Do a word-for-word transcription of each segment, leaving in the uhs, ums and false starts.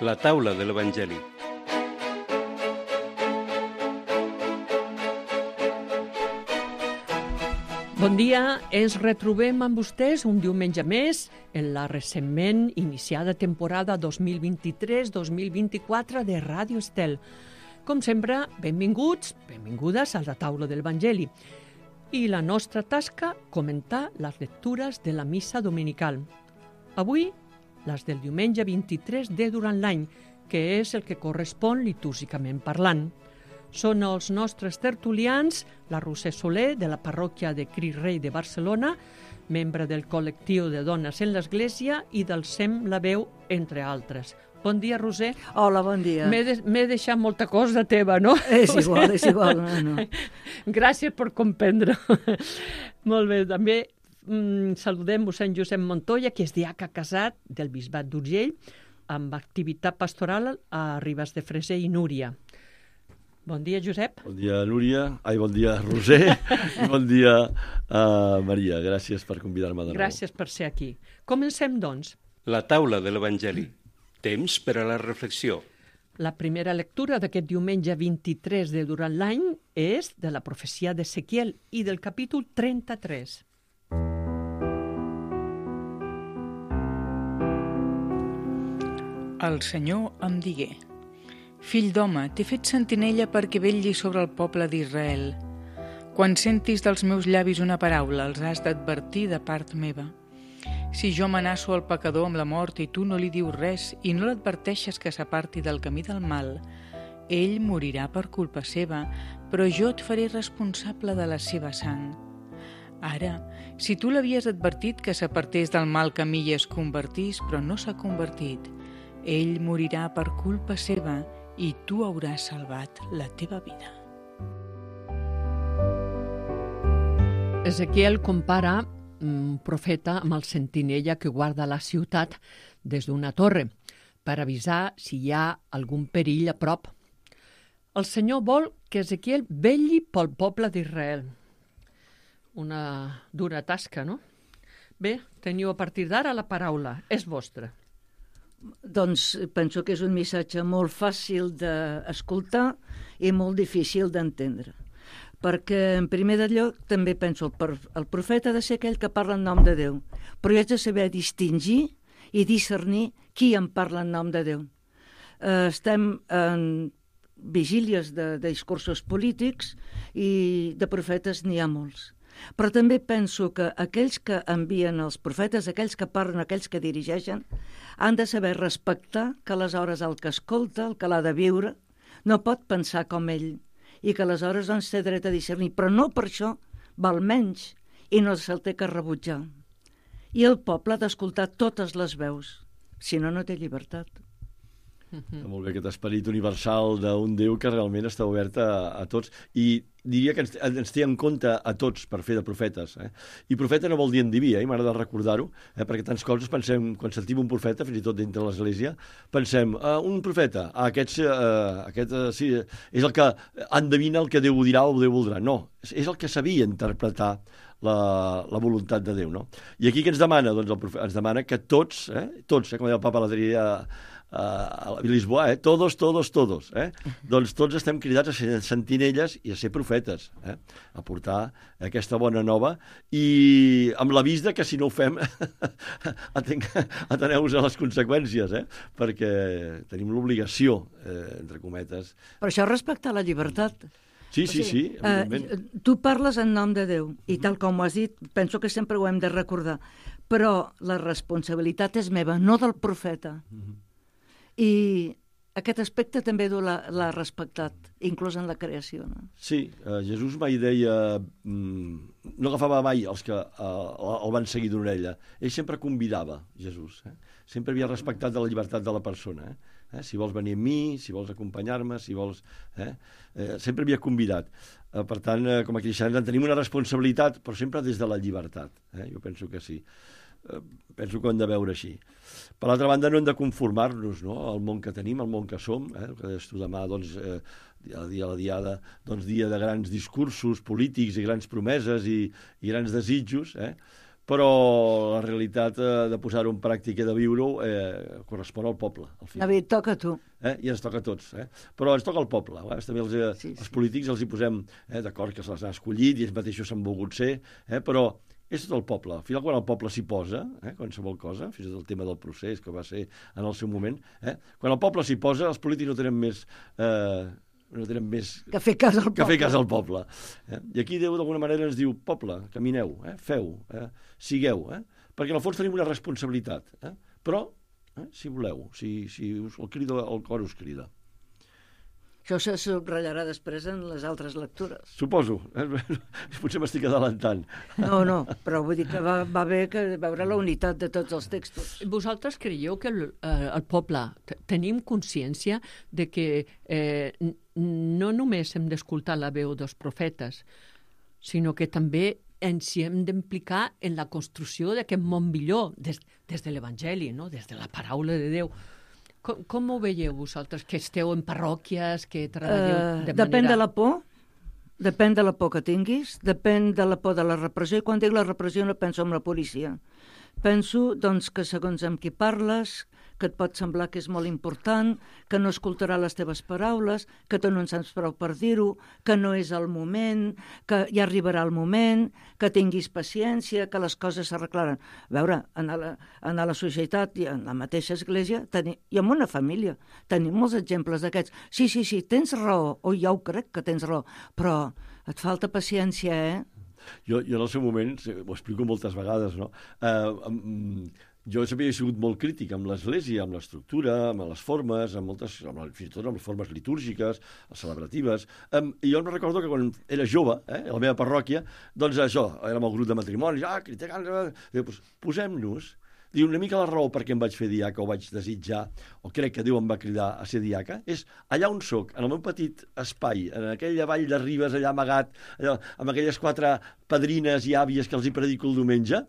La taula de l'Evangeli. Bon dia, ens retrobem amb vostès un diumenge més en la recentment iniciada temporada dos mil vint-i-tres dos mil vint-i-quatre de Ràdio Estel. Com sempre, benvinguts, benvingudes a la taula de l'Evangeli. I la nostra tasca, comentar les lectures de la missa dominical. Avui, les del diumenge vint-i-tres de durant l'any, que és el que correspon litúrgicament parlant. Són els nostres tertulians, la Roser Soler, de la parròquia de Crist Rei de Barcelona, membre del col·lectiu de dones en l'Església i del SEM La Veu, entre altres. Bon dia, Roser. Hola, bon dia. M'he de, m'he deixat molta cosa teva, no? És igual, és igual. No, no. Gràcies per comprendre. Molt bé, també mm, saludem mossèn Josep Montoya, que és diaca casat del Bisbat d'Urgell, amb activitat pastoral a Ribes de Freser i Núria. Bon dia, Josep. Bon dia, Núria. Ai, bon dia, Roser. I bon dia, uh, Maria. Gràcies per convidar-me de nou. Gràcies per ser aquí. Comencem, doncs. La taula de l'Evangeli. Temps per a la reflexió. La primera lectura d'aquest diumenge vint-i-tres de durant l'any és de la profecia d'Ezequiel i del capítol trenta-tres. El Senyor em digué: Fill d'home, t'he fet sentinella perquè vetlli sobre el poble d'Israel. Quan sentis dels meus llavis una paraula, els has d'advertir de part meva. Si jo amenaço el pecador amb la mort i tu no li dius res i no l'adverteixes que s'aparti del camí del mal, ell morirà per culpa seva, però jo et faré responsable de la seva sang. Ara, si tu l'havies advertit que s'apartés del mal camí i es convertís, però no s'ha convertit, ell morirà per culpa seva i tu hauràs salvat la teva vida. Ezequiel compara un profeta amb el sentinella que guarda la ciutat des d'una torre per avisar si hi ha algun perill a prop. El Senyor vol que Ezequiel vetlli pel poble d'Israel. Una dura tasca, no? Bé, teniu a partir d'ara la paraula. És vostra. Doncs penso que és un missatge molt fàcil d'escoltar i molt difícil d'entendre. Perquè, en primer lloc, també penso el, el profeta ha de ser aquell que parla en nom de Déu, però jo haig de saber distingir i discernir qui em parla en nom de Déu. Eh, estem en vigílies de, de discursos polítics i de profetes n'hi ha molts. Però també penso que aquells que envien els profetes, aquells que parlen, aquells que dirigeixen, han de saber respectar que aleshores el que escolta, el que l'ha de viure, no pot pensar com ell, i que aleshores doncs té dret a discernir, però no per això val menys i no se'l té que rebutjar. I el poble ha d'escoltar totes les veus, si no, no té llibertat. Mm-hmm. Molt bé, aquest esperit universal d'un Déu que realment està obert a, a tots i diria que ens, ens té en compte a tots per fer de profetes. Eh? I profeta no vol dir endiví, eh? m'agrada recordar-ho, eh? perquè tants coses pensem, quan sentim un profeta, fins i tot dintre l'Església, pensem, uh, un profeta, ah, aquest, uh, aquest uh, sí, és el que endevina el que Déu dirà o Déu voldrà. No, és, és el que sabia interpretar la, la voluntat de Déu. No? I aquí què ens demana? Doncs el profeta ens demana que tots, eh? tots, eh? com deia el Papa l'altre dia, a Lisboa, eh? todos, todos, todos. Eh? Doncs tots estem cridats a ser sentinelles i a ser profetes, eh? a portar aquesta bona nova i amb l'avís de que si no ho fem ateneu-vos a les conseqüències, eh? perquè tenim l'obligació, eh, entre cometes. Per això respectar la llibertat. Sí, sí, sí, evidentment. Eh, tu parles en nom de Déu i tal com ho has dit, penso que sempre ho hem de recordar, però la responsabilitat és meva, no del profeta. Mm-hmm. I aquest aspecte també l'ha respectat, inclús en la creació. No? Sí, eh, Jesús mai deia, mm, no agafava mai els que eh, el van seguir d'una orella. Ell sempre convidava, Jesús. Eh? Sempre havia respectat de la llibertat de la persona. Eh? Eh? Si vols venir amb mi, si vols acompanyar-me, si vols... Eh? Eh, sempre havia convidat. Eh, per tant, eh, com a cristians en tenim una responsabilitat, però sempre des de la llibertat. Eh? Jo penso que sí. Eh, penso que ho hem de veure així. Per l'altra banda, no hem de conformar-nos, no?, al món que tenim, al món que som, eh? que deies tu demà, doncs, eh, dia, dia a la diada, doncs, dia de grans discursos polítics i grans promeses i, i grans desitjos, eh? però la realitat eh, de posar-ho en pràctica i de viure-ho eh, correspon al poble. Al final. David, toca a tu. Eh? I ens toca a tots. Eh? Però ens toca al poble. Eh? També els, eh, Sí, sí. els polítics els hi posem eh, d'acord que se les ha escollit i ells mateixos s'han volgut ser, eh? però és tot el poble. Al final, quan el poble s'hi posa, eh, qualsevol cosa, fins i tot el tema del procés, que va ser en el seu moment, eh, quan el poble s'hi posa, els polítics no tenen més... Eh, no tenen més Que fer cas al que poble. fer cas al poble. Eh? I aquí Déu d'alguna manera ens diu, poble, camineu, eh? feu, eh? sigueu, eh? perquè en el fons tenim una responsabilitat. Eh? Però, eh? si voleu, si, si us, el, crida, el cor us crida. Això se subratllarà després en les altres lectures. Suposo. Eh? Potser m'estic adelantant. No, no, però vull dir que va, va bé que veure la unitat de tots els textos. Vosaltres creieu que el, eh, el poble t- tenim consciència de que eh, n- no només hem d'escoltar la veu dels profetes, sinó que també ens hi hem d'implicar en la construcció d'aquest món millor, des, des de l'Evangeli, no? Des de la paraula de Déu. Com, com ho veieu vosaltres, que esteu en parròquies, que treballeu Eh, de depèn manera... de la por, depèn de la por que tinguis, depèn de la por de la repressió, i quan dic la repressió no penso en la policia. Penso, doncs, que segons amb qui parles, que et pot semblar que és molt important, que no escoltarà les teves paraules, que tu no en saps prou per dir-ho, que no és el moment, que ja arribarà el moment, que tinguis paciència, que les coses s'arreglaran. A veure, en la, en la societat i en la mateixa església, teni, i en una família, tenim molts exemples d'aquests. Sí, sí, sí, tens raó, o ja ho crec que tens raó, però et falta paciència, eh? Jo, jo en el seu moment, ho explico moltes vegades, no? Eh, um, jo sempre he sigut molt crític amb l'Església, amb l'estructura, amb les formes, amb moltes, amb la, fins i tot amb les formes litúrgiques, les celebratives. Um, I jo em recordo que quan era jove, eh, a la meva parròquia, doncs això, érem el grup de matrimonis, ah, criticant, diu, pues, posem-nos. Diu, una mica la raó per què em vaig fer diaca o vaig desitjar, o crec que Déu em va cridar a ser diaca, és allà on sóc, en el meu petit espai, en aquella vall de Ribes, allà amagat, allà, amb aquelles quatre padrines i àvies que els hi predico el diumenge,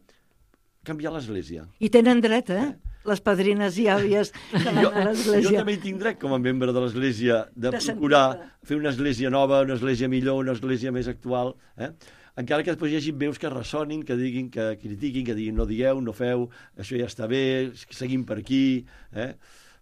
canviar l'església. I tenen dret, eh? Les padrines i àvies que van Jo, a jo l'església. també hi tinc dret, com a membre de l'església, de, De procurar sentir-la. fer una església nova, una església millor, una església més actual, eh? Encara que després hi hagi veus que ressonin, que diguin, que critiquin, que diguin no digueu, no feu, això ja està bé, seguim per aquí. Eh?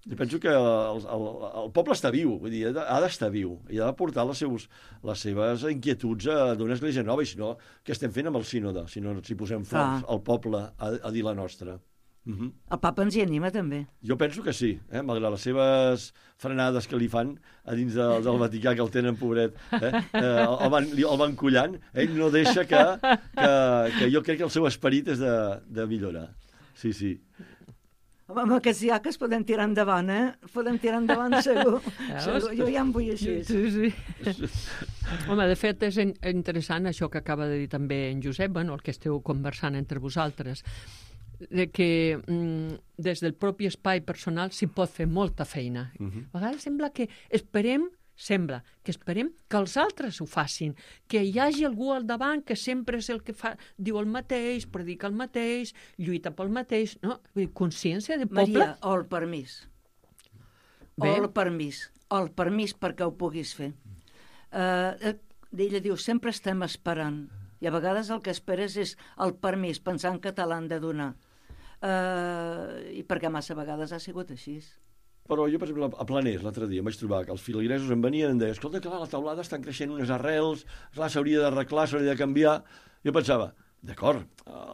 Jo penso que el, el, el poble està viu, vull dir, ha d'estar viu, i ha de portar les, seus, les seves inquietuds a d'una església nova, i si no, què estem fent amb el sínode, si no si posem forts Ah. al poble a, a dir la nostra. Uh -huh. El papa ens hi anima, també. Jo penso que sí, eh? Malgrat les seves frenades que li fan a dins de, del Vaticà, que el tenen, pobret, eh? Eh, el, van, el van collant, ell no deixa que, que, que jo crec que el seu esperit és de, de millorar. Sí, sí. Home, amb aquests diaques podem tirar endavant, eh? Podem tirar endavant, segur. Veus? segur. Jo ja em vull així. Sí, sí. Home, de fet, és in- interessant això que acaba de dir també en Josep, bueno, el que esteu conversant entre vosaltres, de que mm, des del propi espai personal s'hi pot fer molta feina. Uh -huh. A vegades sembla que esperem sembla que esperem que els altres ho facin, que hi hagi algú al davant que sempre és el que fa, diu el mateix, predica el mateix, lluita pel mateix, no? Vull dir, consciència de poble... Maria, o el permís. Bé. O el permís. O el permís perquè ho puguis fer. Uh, ella diu, sempre estem esperant. I a vegades el que esperes és el permís, pensant que te l'han de donar. Uh, I perquè massa vegades ha sigut així. Però jo, per exemple, a Planers, l'altre dia, em vaig trobar que els filigresos em venien i em deien, escolta, clar, a la teulada estan creixent unes arrels, clar, s'hauria d'arreglar, s'hauria de canviar. Jo pensava, d'acord,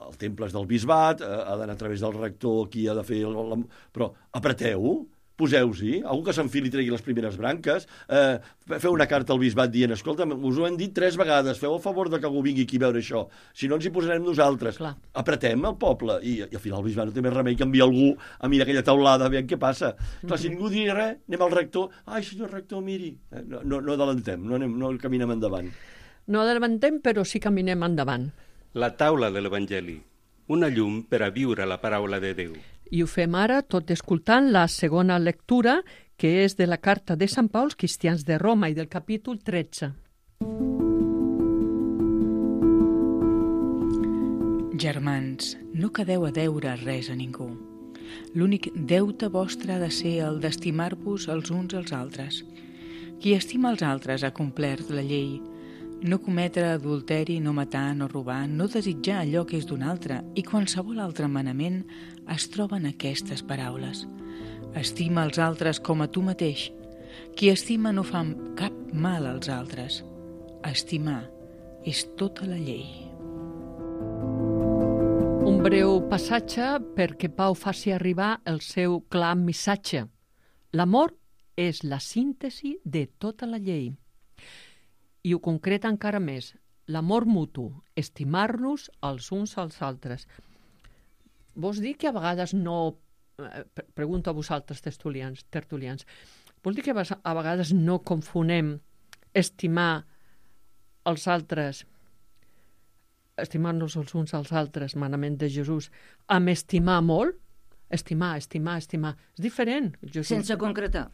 el temple és del bisbat, ha d'anar a través del rector, qui ha de fer... El, el, però apreteu, poseu-s'hi, algú que s'enfili i tregui les primeres branques, eh, feu una carta al bisbat dient, escolta, us ho hem dit tres vegades, feu el favor de que algú vingui aquí a veure això, si no ens hi posarem nosaltres. Clar. Apretem el poble, i, i al final el bisbat no té més remei que enviar algú a mirar aquella taulada, a veure què passa. Mm-hmm. Clar, si ningú diria res, anem al rector, ai, senyor rector, miri, eh, no, no, no adelantem, no, anem, no caminem endavant. No adevantem, però sí caminem endavant. La taula de l'Evangeli, una llum per a viure la paraula de Déu. I ho fem ara tot escoltant la segona lectura, que és de la carta de Sant Pau als cristians de Roma i del capítol tretze. Germans, no quedeu a deure res a ningú. L'únic deute vostre ha de ser el d'estimar-vos els uns als altres. Qui estima els altres ha complert la llei. no cometre adulteri, no matar, no robar, no desitjar allò que és d'un altre, i qualsevol altre manament es troben aquestes paraules. Estima els altres com a tu mateix. Qui estima no fa cap mal als altres. Estimar és tota la llei. Un breu passatge perquè Pau faci arribar el seu clar missatge. L'amor és la síntesi de tota la llei. I ho concreta encara més. L'amor mutu, estimar-nos els uns als altres. Vols dir que a vegades no... Pregunto a vosaltres, tertulians, tertulians. Vols dir que a vegades no confonem estimar els altres, estimar-nos els uns als altres, manament de Jesús, amb estimar molt? Estimar, estimar, estimar. És diferent. Jesús... Sense concretar.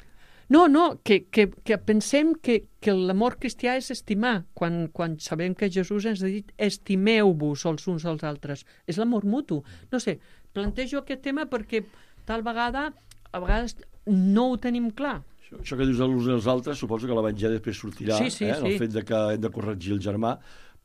No, no, que, que, que pensem que, que l'amor cristià és estimar, quan, quan sabem que Jesús ens ha dit estimeu-vos els uns als altres. És l'amor mutu. No sé, plantejo aquest tema perquè tal vegada, a vegades no ho tenim clar. Això, això que dius els uns als altres, suposo que l'Evangeli després sortirà, sí, sí, eh, sí. el fet de que hem de corregir el germà,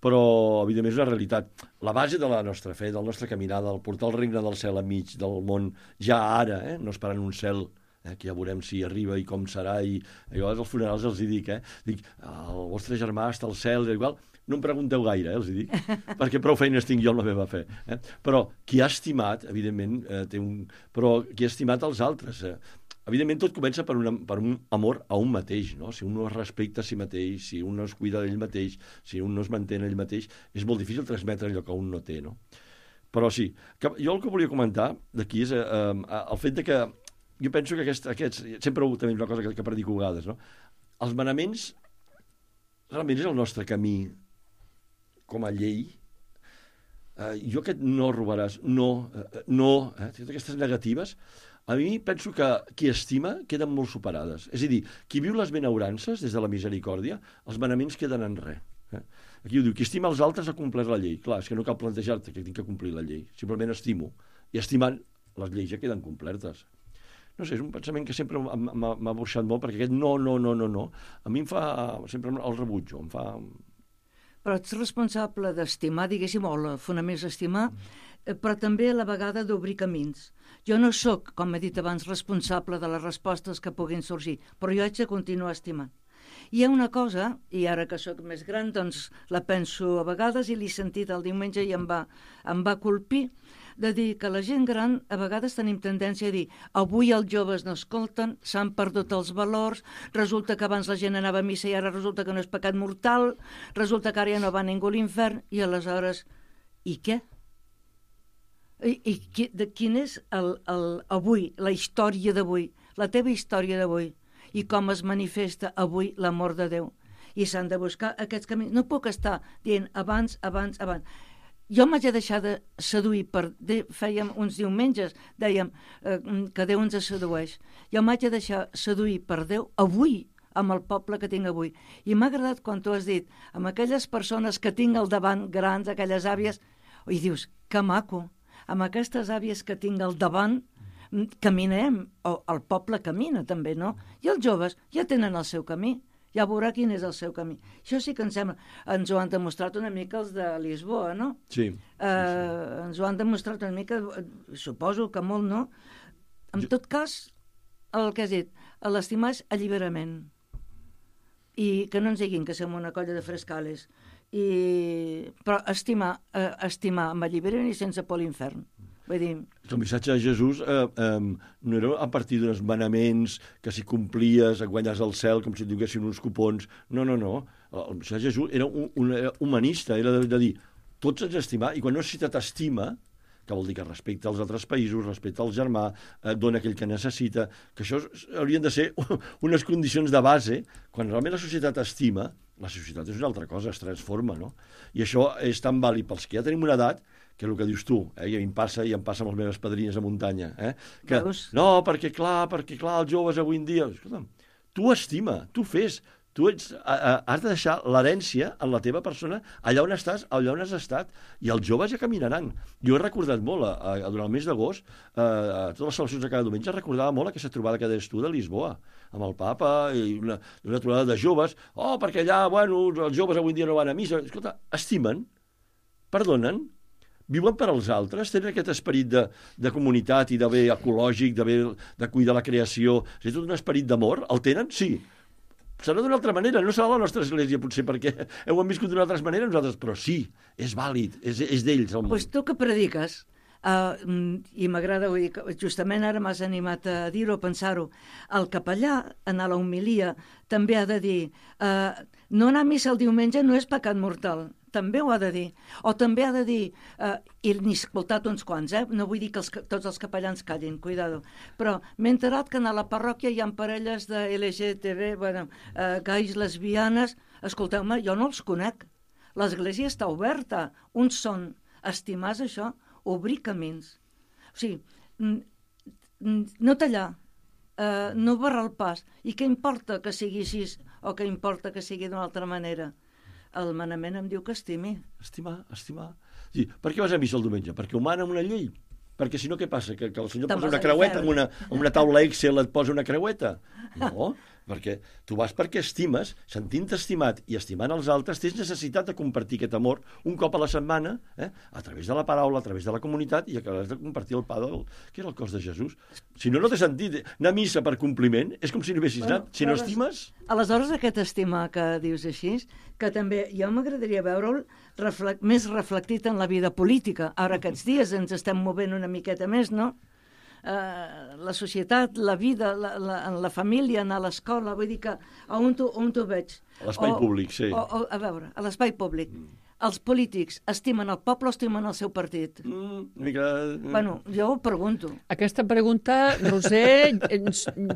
però, evidentment, és una realitat. La base de la nostra fe, del nostre caminar, del portar el regne del cel enmig del món, ja ara, eh, no esperant un cel, eh, que ja veurem si arriba i com serà, i jo als funerals els hi dic, eh, dic, el vostre germà està al cel, igual, no em pregunteu gaire, eh, els hi dic, perquè prou feines tinc jo amb la meva fe. Eh? Però qui ha estimat, evidentment, eh, té un... però qui ha estimat els altres, eh? Evidentment, tot comença per, una, per un amor a un mateix, no? Si un no es respecta a si mateix, si un no es cuida d'ell mateix, si un no es manté ell mateix, és molt difícil transmetre allò que un no té, no? Però sí, que, jo el que volia comentar d'aquí és eh, eh, el fet de que jo penso que aquest, aquests, sempre també és una cosa que, que predico a vegades, no? Els manaments realment és el nostre camí com a llei. Eh, jo aquest no robaràs, no, eh, no, eh, totes aquestes negatives, a mi penso que qui estima queden molt superades. És a dir, qui viu les benaurances des de la misericòrdia, els manaments queden en res. Eh? Aquí ho diu, qui estima els altres ha complert la llei. Clar, és que no cal plantejar-te que tinc que complir la llei. Simplement estimo. I estimant, les lleis ja queden complertes. No sé, és un pensament que sempre m'ha burxat molt, perquè aquest no, no, no, no, no, a mi em fa, sempre el rebutjo, em fa... Però ets responsable d'estimar, diguéssim, o el fonament és estimar, però també a la vegada d'obrir camins. Jo no sóc, com he dit abans, responsable de les respostes que puguin sorgir, però jo haig de continuar estimant. Hi ha una cosa, i ara que sóc més gran, doncs la penso a vegades i l'he sentit el diumenge i em va, em va colpir, de dir que la gent gran a vegades tenim tendència a dir avui els joves no escolten, s'han perdut els valors, resulta que abans la gent anava a missa i ara resulta que no és pecat mortal, resulta que ara ja no va ningú a l'infern, i aleshores, i què? I, i qui, de quin és el, el, avui, la història d'avui, la teva història d'avui, i com es manifesta avui l'amor de Déu. I s'han de buscar aquests camins. No puc estar dient abans, abans, abans. Jo m'haig de deixar de seduir per... De, fèiem uns diumenges, dèiem eh, que Déu ens sedueix. Jo m'haig de deixar seduir per Déu avui, amb el poble que tinc avui. I m'ha agradat quan tu has dit, amb aquelles persones que tinc al davant, grans, aquelles àvies, i dius, que maco, amb aquestes àvies que tinc al davant, caminem, o el poble camina també, no? I els joves ja tenen el seu camí, ja veurà quin és el seu camí. Això sí que ens sembla, ens ho han demostrat una mica els de Lisboa, no? Sí. Eh, sí, sí. Ens ho han demostrat una mica, suposo que molt, no? En jo... tot cas, el que has dit, l'estimar és alliberament. I que no ens diguin que som una colla de frescales. I... Però estimar, eh, estimar amb alliberament i sense por a l'infern. Vull dir... El missatge de Jesús eh, eh, no era a partir d'uns manaments que si complies et guanyes el cel com si et donessin uns cupons. No, no, no. El missatge de Jesús era un, un era humanista, era de, de dir tots ens estimar, i quan una societat estima, que vol dir que respecta els altres països, respecta el germà, eh, dona aquell que necessita, que això haurien de ser unes condicions de base. Quan realment la societat estima, la societat és una altra cosa, es transforma, no? I això és tan vàlid pels que ja tenim una edat, que és el que dius tu, eh? I a mi em passa i em passa amb les meves padrines a muntanya, eh? Que, no, perquè clar, perquè clar, els joves avui en dia... Escolta'm, tu estima, tu fes, Tu ets, has de deixar l'herència en la teva persona allà on estàs, allà on has estat, i els joves ja caminaran. Jo he recordat molt, a, a, durant el mes d'agost, a, a totes les celebracions de cada diumenge, recordava molt aquesta trobada que deies tu de Lisboa, amb el papa, i una, una trobada de joves. Oh, perquè allà, bueno, els joves avui dia no van a missa. Escolta, estimen, perdonen, viuen per als altres, tenen aquest esperit de, de comunitat i de bé ecològic, de, bé, de cuidar la creació, és tot un esperit d'amor. El tenen? Sí. Serà d'una altra manera, no serà la nostra església, potser, perquè heu viscut d'una altra manera nosaltres, però sí, és vàlid, és, és d'ells el món. Pues tu que prediques, uh, i m'agrada, vull dir, que justament ara m'has animat a dir-ho, a pensar-ho, el capellà, en la homilia, també ha de dir, uh, no anar a missa el diumenge no és pecat mortal, també ho ha de dir. O també ha de dir, eh, i n'he escoltat uns quants, eh? No vull dir que els, tots els capellans callin, cuidado, però m'he enterat que a la parròquia hi ha parelles de L G T B, bueno, eh, gais, lesbianes. Escolteu-me, jo no els conec. L'església està oberta. Uns són estimars això, obrir camins. O sigui, no tallar, eh, no barrar el pas. I què importa que sigui així o què importa que sigui d'una altra manera? El manament em diu que estimi. Estimar, estimar. Sí, per què vas a missa el diumenge? Perquè ho mana una llei. Perquè si no, què passa? Que, que el senyor posa una creueta en una, en una taula Excel et posa una creueta? No, perquè tu vas perquè estimes, sentint-te estimat i estimant els altres, tens necessitat de compartir aquest amor un cop a la setmana, eh? A través de la paraula, a través de la comunitat, i acabes de compartir el pa del... que era el cos de Jesús. Si no, no té sentit. Anar a missa per compliment és com si no haguessis bueno, anat. Si no estimes... Aleshores, aquest estimar que dius així, que també jo m'agradaria veure'l reflect, més reflectit en la vida política. Ara aquests dies ens estem movent una miqueta més, no? Uh, la societat, la vida, la, la, la família, anar a l'escola, vull dir que on t'ho veig. A l'espai públic, sí. O, o, a veure, a l'espai públic. Mm. Els polítics estimen el poble o estimen el seu partit? Mm, mica... Bueno, jo ho pregunto. Aquesta pregunta, Roser,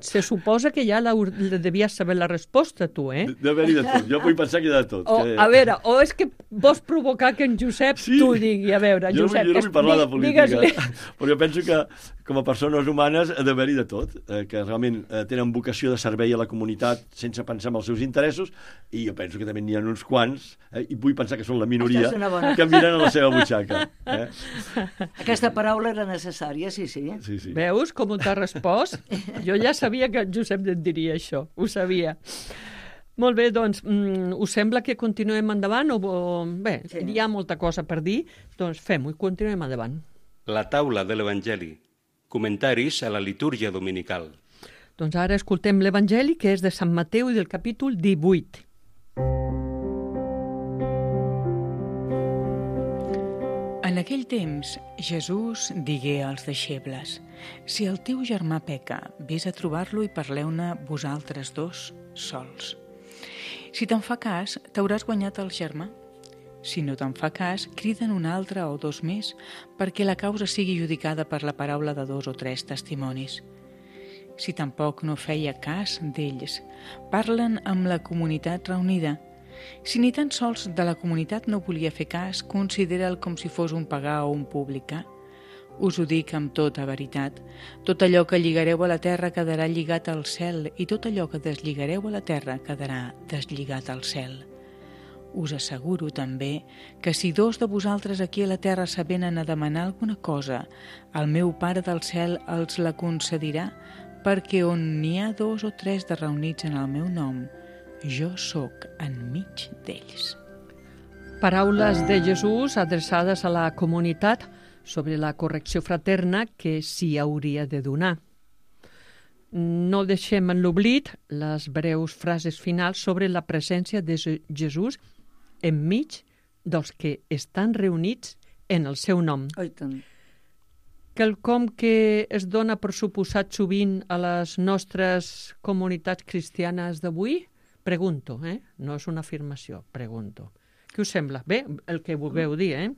se suposa que ja la, la devies saber la resposta, tu, eh? De, de haver-hi de tot. Jo vull pensar que hi ha de tot. O, que... A veure, o és que vols provocar que en Josep sí. t'ho digui. A veure, jo Josep... Jo no vull parlar de política, però jo penso que com a persones humanes ha d'haver-hi de tot, eh, que realment eh, tenen vocació de servei a la comunitat sense pensar en els seus interessos, i jo penso que també n'hi ha uns quants, eh, i vull pensar que són la minoria que miren a la seva butxaca. Eh? Aquesta paraula era necessària, sí, sí. sí, sí. Veus com t'ha respost? Jo ja sabia que en Josep et diria això, ho sabia. Molt bé, doncs, mm, us sembla que continuem endavant? O, o bé, sí. Hi ha molta cosa per dir, doncs fem-ho i continuem endavant. La taula de l'Evangeli. Comentaris a la litúrgia dominical. Doncs ara escoltem l'Evangeli, que és de Sant Mateu i del capítol divuit. En aquell temps, Jesús digué als deixebles: si el teu germà peca, vés a trobar-lo i parleu-ne vosaltres dos sols. Si te'n fa cas, t'hauràs guanyat el germà. Si no te'n fa cas, criden un altre o dos més, perquè la causa sigui judicada per la paraula de dos o tres testimonis. Si tampoc no feia cas d'ells, parlen amb la comunitat reunida. Si ni tan sols de la comunitat no volia fer cas, considera'l com si fos un pagà o un publicà. Us ho dic amb tota veritat. Tot allò que lligareu a la terra quedarà lligat al cel, i tot allò que deslligareu a la terra quedarà deslligat al cel. Us asseguro també que si dos de vosaltres aquí a la terra s'avenen a demanar alguna cosa, el meu Pare del cel els la concedirà, perquè on n'hi ha dos o tres de reunits en el meu nom, jo sóc enmig d'ells. Paraules de Jesús adreçades a la comunitat sobre la correcció fraterna que s'hi hauria de donar. No deixem en l'oblit les breus frases finals sobre la presència de Jesús enmig dels que estan reunits en el seu nom. Oh, tant. Quelcom que es dona per suposat sovint a les nostres comunitats cristianes d'avui? Pregunto, eh? No és una afirmació, pregunto. Què us sembla? Bé, el que vulgueu dir, eh?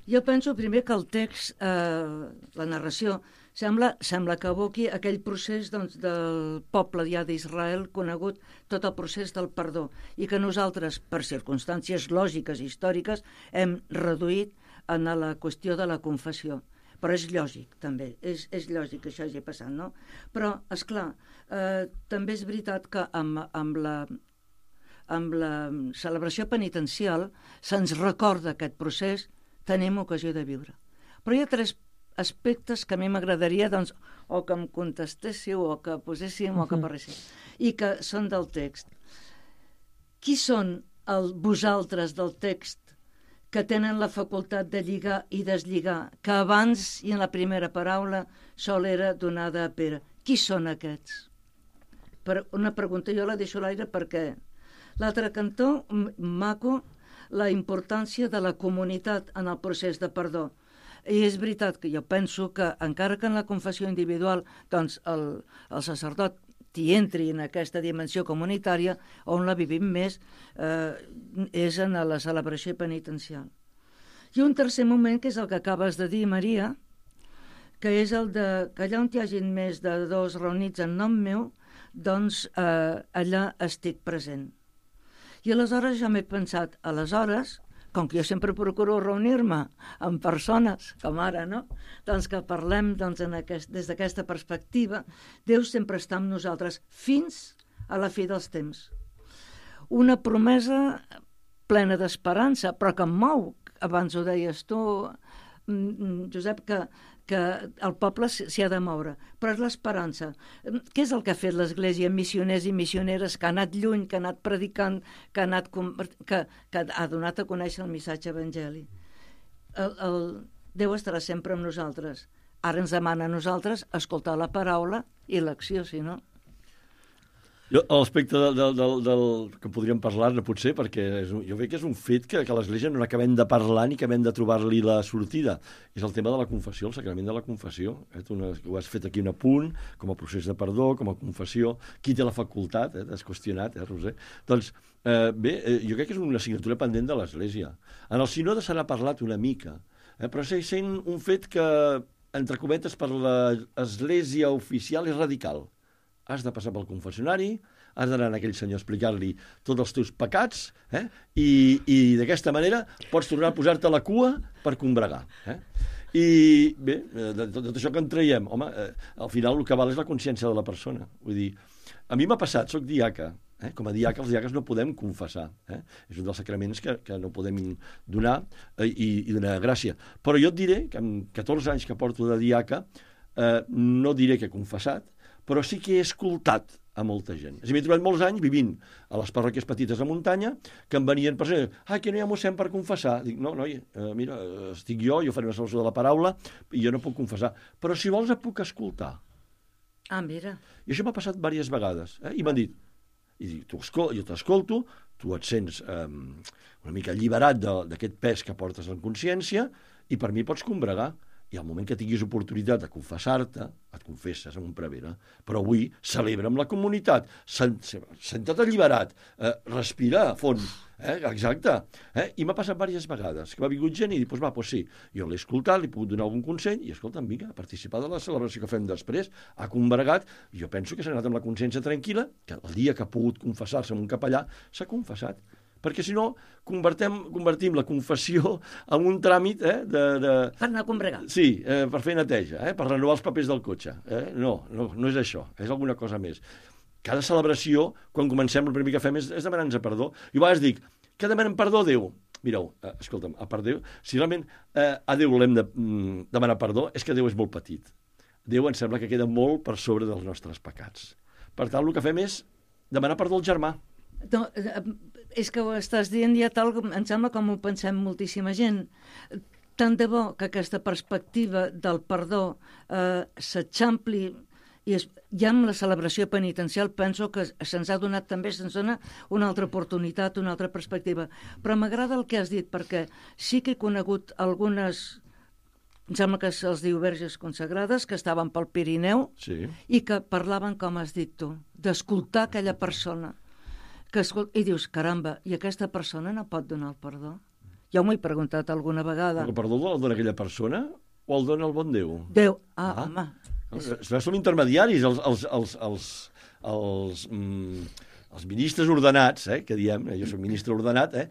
Jo penso primer que el text, eh, la narració, sembla, sembla que evoqui aquell procés doncs, del poble ja d'Israel conegut, tot el procés del perdó, i que nosaltres, per circumstàncies lògiques i històriques, hem reduït en la qüestió de la confessió. Però és lògic, també, és, és lògic que això hagi passat, no? Però, esclar, eh, també és veritat que amb, amb la... amb la celebració penitencial se'ns recorda aquest procés, tenim ocasió de viure. Però hi ha tres aspectes que a mi m'agradaria doncs, o que em contestéssiu, o que poséssim, o que parléssim, i que són del text. Qui són el vosaltres del text que tenen la facultat de lligar i deslligar, que abans i en la primera paraula sol era donada a Pere? Qui són aquests? Per una pregunta, jo la deixo a l'aire perquè l'altre cantó, maco, la importància de la comunitat en el procés de perdó. I és veritat que jo penso que, encara que en la confessió individual doncs el, el sacerdot t'hi entri en aquesta dimensió comunitària, on la vivim més eh, és en la celebració penitencial. I un tercer moment, que és el que acabes de dir, Maria, que és el de que allà on hi hagin més de dos reunits en nom meu, doncs eh, allà estic present. I aleshores ja m'he pensat, aleshores, com que jo sempre procuro reunir-me amb persones, com ara, no? Doncs que parlem doncs, en aquest, des d'aquesta perspectiva, Déu sempre està amb nosaltres fins a la fi dels temps. Una promesa plena d'esperança, però que em mou, abans ho deies tu, Josep, que, que el poble s'hi ha de moure, però és l'esperança. Què és el que ha fet l'Església? Missioners i missioneres que ha anat lluny, que ha anat predicant, que ha, anat, que, que ha donat a conèixer el missatge evangèlic. El, el, Déu estarà sempre amb nosaltres. Ara ens demana a nosaltres escoltar la paraula i l'acció, si no. Jo, a l'aspecte del, del, del, del que podríem parlar-ne, potser, perquè és un, jo veig que és un fet que, que a l'Església no acabem de parlar ni acabem de trobar-li la sortida. És el tema de la confessió, el sacrament de la confessió. Eh? Tu ho has fet aquí un apunt, com a procés de perdó, com a confessió. Qui té la facultat? Eh? T'has qüestionat, eh, Roser? Doncs, eh, bé, eh, jo crec que és una assignatura pendent de l'Església. En el sínode se n'ha parlat una mica, eh? però segueix sent un fet que, entre cometes, per l'Església oficial és radical. Has de passar pel confessionari, has d'anar a aquell senyor a explicar-li tots els teus pecats, eh? i, i d'aquesta manera pots tornar a posar-te a la cua per combregar. Eh? I bé, de tot, tot això que en traiem, home, eh, al final el que val és la consciència de la persona. Vull dir, a mi m'ha passat, soc diaca, eh? Com a diaca els diaques no podem confessar, eh? És un dels sacraments que, que no podem donar eh, i, i donar gràcia. Però jo et diré que amb catorze anys que porto de diaca, eh, no diré que he confessat, però sí que he escoltat a molta gent. És a dir, m'he trobat molts anys vivint a les parròquies petites de muntanya que em venien per ser, ah, que no hi ha mossèn per confessar. Dic, no, noi, eh, mira, estic jo, jo faré una celebració de la paraula i jo no puc confessar. Però si vols et puc escoltar. Ah, mira. I això m'ha passat diverses vegades. Eh? I m'han dit, i dic, tu escol jo t'escolto, tu et sents eh, una mica alliberat d'aquest pes que portes en consciència i per mi pots combregar. I al moment que tinguis oportunitat de confessar-te, et confesses amb un prevere. Però avui celebra amb la comunitat, senta't alliberat, eh, respira a fons, eh, exacte. Eh? I m'ha passat diverses vegades, que m'ha vingut gent i dic, pues va, pues sí, jo l'he escoltat, li he pogut donar algun consell, i escolta, vinga, ha participat de la celebració que fem després, ha combregat, i jo penso que s'ha anat amb la consciència tranquil·la, que el dia que ha pogut confessar-se amb un capellà, s'ha confessat. Perquè si no, convertim, convertim la confessió en un tràmit eh, de, de... Per anar a combregar. Sí, eh, per fer neteja, eh, per renovar els papers del cotxe. Eh? No, no, no és això, és alguna cosa més. Cada celebració, quan comencem, el primer que fem és, és demanar-nos perdó. I a vegades dic, què demanem perdó a Déu? Mireu, eh, escolta'm, a part Déu, si realment eh, a Déu l'hem de mm, demanar perdó, és que Déu és molt petit. Déu em sembla que queda molt per sobre dels nostres pecats. Per tant, el que fem és demanar perdó al germà. No, és que ho estàs dient ja tal, em sembla com ho pensem moltíssima gent. Tant de bo que aquesta perspectiva del perdó eh, s'eixampli i es, ja amb la celebració penitencial penso que se'ns ha donat també, se'ns dona una altra oportunitat, una altra perspectiva. Però m'agrada el que has dit, perquè sí que he conegut algunes, em sembla que se'ls diu verges consagrades, que estaven pel Pirineu sí. i que parlaven, com has dit tu, d'escoltar aquella persona. Que escol... I dius, caramba, i aquesta persona no pot donar el perdó? Ja m'ho he preguntat alguna vegada. El perdó el dona aquella persona o el dona el bon Déu? Déu, ah, ah. home. És... Som intermediaris, els, els, els, els, els, mm, els ministres ordenats, eh, que diem, jo soc ministre ordenat, eh,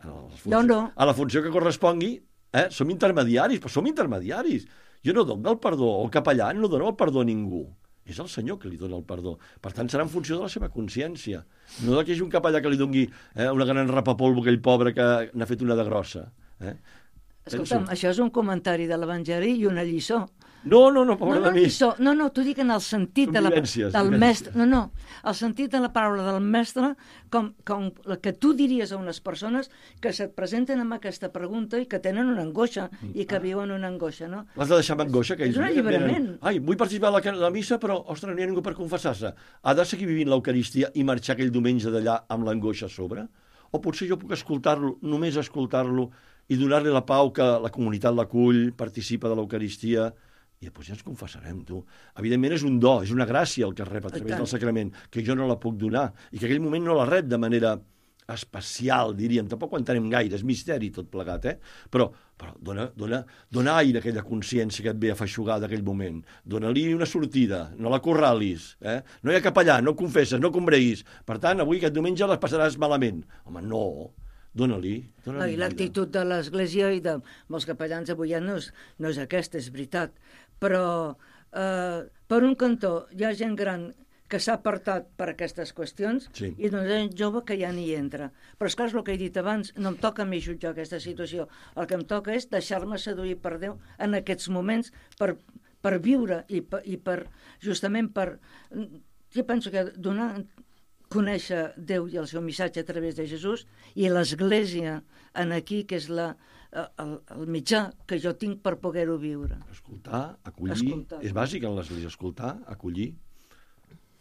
funció, no, no. a la funció que correspongui, eh, som intermediaris, però som intermediaris. Jo no dono el perdó, el capellà no dona el perdó a ningú. és el Senyor que li dona el perdó. Per tant, serà en funció de la seva consciència. No que hi hagi un capellà que li doni eh, una gran rapapolvo a aquell pobre que n'ha fet una de grossa. Eh? Escolta'm, Penso... això és un comentari de l'Evangeli i una lliçó. No, no, no, pobre no, no, de mi. Lliçó. No, no, t'ho dic en el sentit de la, del mestre. No, no, el sentit de la paraula del mestre, com, com la que tu diries a unes persones que se't presenten amb aquesta pregunta i que tenen una angoixa i que viuen una angoixa, no? L'has de deixar amb angoixa? Que és un alliberament. Venen, ai, vull participar a la, la missa, però, ostres, no hi ha ningú per confessar-se. Ha de seguir vivint l'Eucaristia i marxar aquell diumenge d'allà amb l'angoixa a sobre? O potser jo puc escoltar-lo, només escoltar-lo, i donar-li la pau que la comunitat l'acull, participa de l'Eucaristia, i després ja ens confessarem, tu. Evidentment és un do, és una gràcia el que es rep a través del sacrament, que jo no la puc donar, i que aquell moment no la rep de manera especial, diríem. Tampoc ho entenem gaire, és misteri tot plegat, eh? Però, però dona, dona, dona aire a aquella consciència que et ve a feixugar d'aquell moment. Dona-li una sortida, no la corralis, eh? No hi ha capellà, no confesses, no combreguis. Per tant, avui aquest diumenge les passaràs malament. Home, no. Dóna-li. Dóna L'actitud de l'Església i de molts capellans avui ja no és, no és aquesta, és veritat. Però, eh, per un cantó, hi ha gent gran que s'ha apartat per aquestes qüestions sí. i doncs gent jove que ja n'hi entra. Però és clar, és el que he dit abans, no em toca a mi jutjar aquesta situació. El que em toca és deixar-me seduir per Déu en aquests moments per, per viure i per, i per, justament per... Jo penso que donar... conèixer Déu i el seu missatge a través de Jesús i l'Església en aquí, que és la, el, el mitjà que jo tinc per poder-ho viure. Escoltar, acollir, escoltar. És bàsic en l'Església, escoltar, acollir.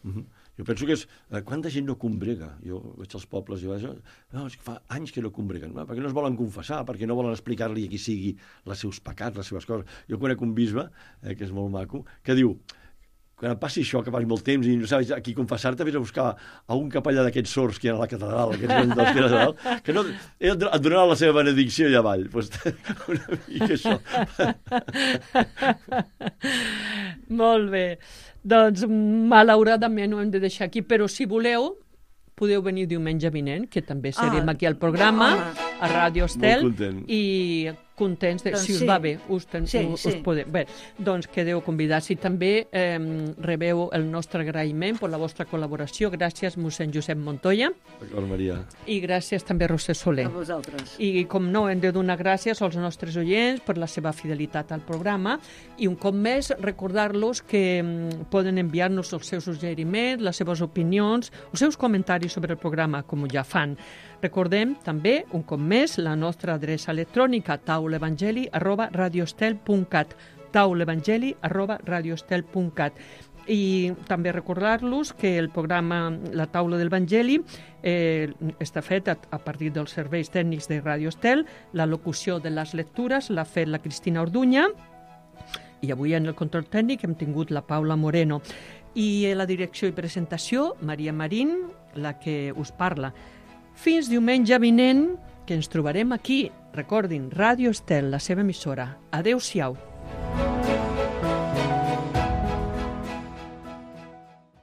Uh-huh. Jo penso que és... Eh, quanta gent no combrega? Jo veig els pobles i vaig... No, és que fa anys que no combreguen. No, perquè no es volen confessar, perquè no volen explicar-li a qui sigui els seus pecats, les seves coses. Jo conec un bisbe, eh, que és molt maco, que diu... Quan em passi això, que passi molt temps i no saps a qui confessar-te, vés a buscar a un capellà d'aquests sords que hi ha a la catedral, aquests grans que era que no, et donarà la seva benedicció allà avall. Pues, una mica això. Molt bé. Doncs, malauradament ho hem de deixar aquí, però si voleu, podeu venir diumenge vinent, que també serem ah, aquí al programa, ah, a Ràdio Estel, i contents, de, doncs si us sí. va bé, us, ten, sí, us, sí. us podeu... Bé, doncs quedeu convidats i també eh, rebeu el nostre agraïment per la vostra col·laboració. Gràcies, mossèn Josep Montoya. D'acord, Maria. I gràcies també, Roser Soler. A vosaltres. I com no, hem de donar gràcies als nostres oients per la seva fidelitat al programa i un cop més recordar-los que mm, poden enviar-nos els seus suggeriments, les seves opinions, els seus comentaris sobre el programa, com ja fan. Recordem també, un cop més, la nostra adreça electrònica taulevangeli arroba radioestel punt cat taulevangeli arroba radioestel punt cat i també recordar-los que el programa La Taula del Vangeli eh, està fet a, a partir dels serveis tècnics de Radio Estel, la locució de les lectures l'ha fet la Cristina Orduña i avui en el control tècnic hem tingut la Paula Moreno i la direcció i presentació Maria Marín, la que us parla. Fins diumenge vinent, que ens trobarem aquí. Recordin, Ràdio Estel, la seva emissora. Adéu-siau.